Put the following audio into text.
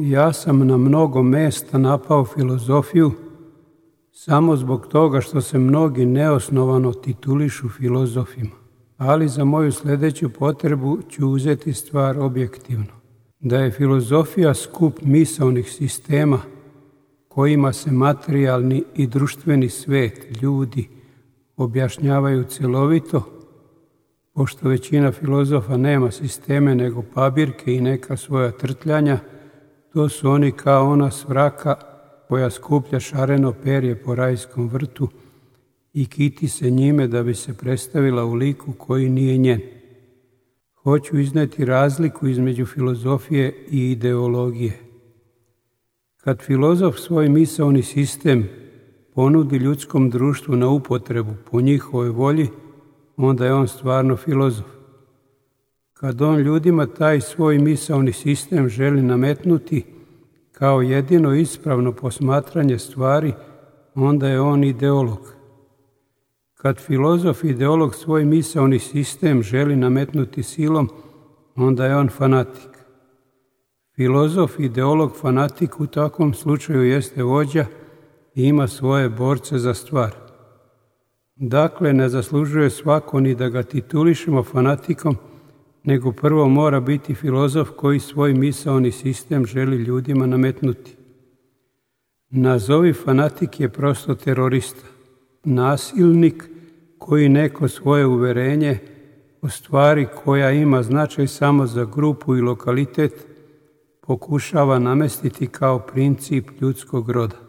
Ja sam na mnogo mesta napao filozofiju samo zbog toga što se mnogi neosnovano titulišu filozofima, ali za moju sljedeću potrebu ću uzeti stvar objektivno. Da je filozofija skup misaonih sistema kojima se materijalni i društveni svet, ljudi, objašnjavaju cjelovito, pošto većina filozofa nema sisteme nego pabirke i neka svoja trtljanja, to su oni kao ona svraka koja skuplja šareno perje po rajskom vrtu i kiti se njime da bi se predstavila u liku koji nije njen. Hoću izneti razliku između filozofije i ideologije. Kad filozof svoj misaoni sistem ponudi ljudskom društvu na upotrebu po njihovoj volji, onda je on stvarno filozof. Kad on ljudima taj svoj misaoni sistem želi nametnuti kao jedino ispravno posmatranje stvari, onda je on ideolog. Kad filozof ideolog svoj misaoni sistem želi nametnuti silom, onda je on fanatik. Filozof, ideolog, fanatik u takvom slučaju jeste vođa i ima svoje borce za stvar. Dakle, ne zaslužuje svako ni da ga titulišemo fanatikom, nego prvo mora biti filozof koji svoj misaoni sistem želi ljudima nametnuti. Nazovi fanatik je prosto terorista, nasilnik koji neko svoje uverenje o stvari koja ima značaj samo za grupu i lokalitet pokušava namestiti kao princip ljudskog roda.